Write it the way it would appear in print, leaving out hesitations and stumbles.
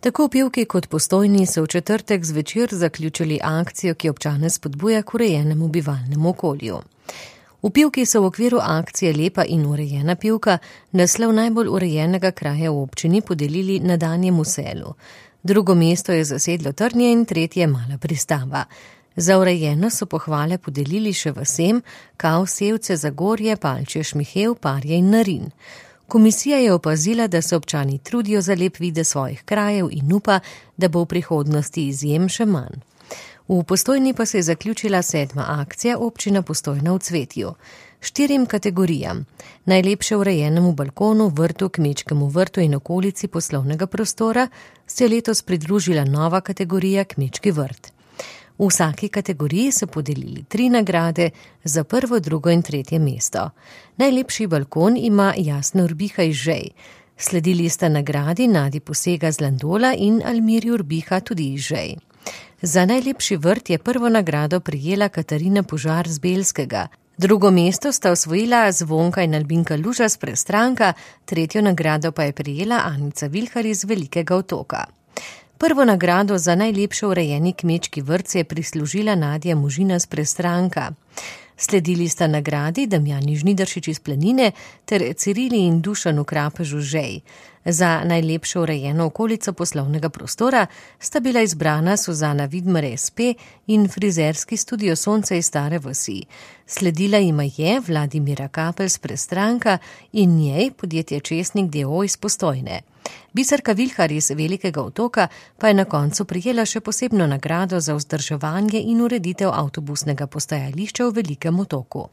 Tako Pivki kot Postojni so v četrtek zvečer zaključili akcijo, ki občane spodbuja k urejenemu bivalnemu okolju. V Pivki so v okviru akcije Lepa in urejena Pivka naslov najbolj urejenega kraja v občini podelili na Danjemu selu. Drugo mesto je zasedlo Trnje in tretje Mala Pristava. Za urejeno so pohvale podelili še vasem Kav, Sevce, Zagorje, Palče, Šmihev, Parje in Narin. Komisija je opazila, da se občani trudijo za lep videz svojih krajev in upa, da bo v prihodnosti izjem še manj. V Postojni pa se je zaključila 7. akcija Občina Postojna v cvetju. 4 kategorijam: najlepše urejenemu balkonu, vrtu, kmečkemu vrtu in okolici poslovnega prostora se je letos pridružila nova kategorija Kmečki vrt. V vsaki kategoriji so podelili 3 nagrade za prvo, drugo in tretje mesto. Najlepši balkon ima Jasna Urbiha iz Žej. Sledili sta nagradi Nadi Posega z Landola in Almiri Urbiha tudi iz Žej. Za najlepši vrt je prvo nagrado prijela Katarina Požar z Belskega. Drugo mesto sta osvojila Zvonka in Albinka Luža z Prestranka, tretjo nagrado pa je prijela Anica Vilhar iz Velikega Otoka. Prvo nagrado za najlepše urejeni kmečki vrt se je prislužila Nadja Možina z Prestranka. Sledili sta nagradi Damjani Žnidaršič iz Planine ter Cirili in Dušan v Krapežu Žej. Za najlepšo urejeno okolico poslovnega prostora sta bila izbrana Suzana Vidmar SP in frizerski studio Sonce iz Stare vasi. Sledila jima je Vladimira Kapelj z Prestranka in njej podjetje Česnik d.o.o. iz Postojne. Biserka Vilhar iz Velikega Otoka pa je na koncu prijela še posebno nagrado za vzdrževanje in ureditev avtobusnega postajališča v Velikem Otoku.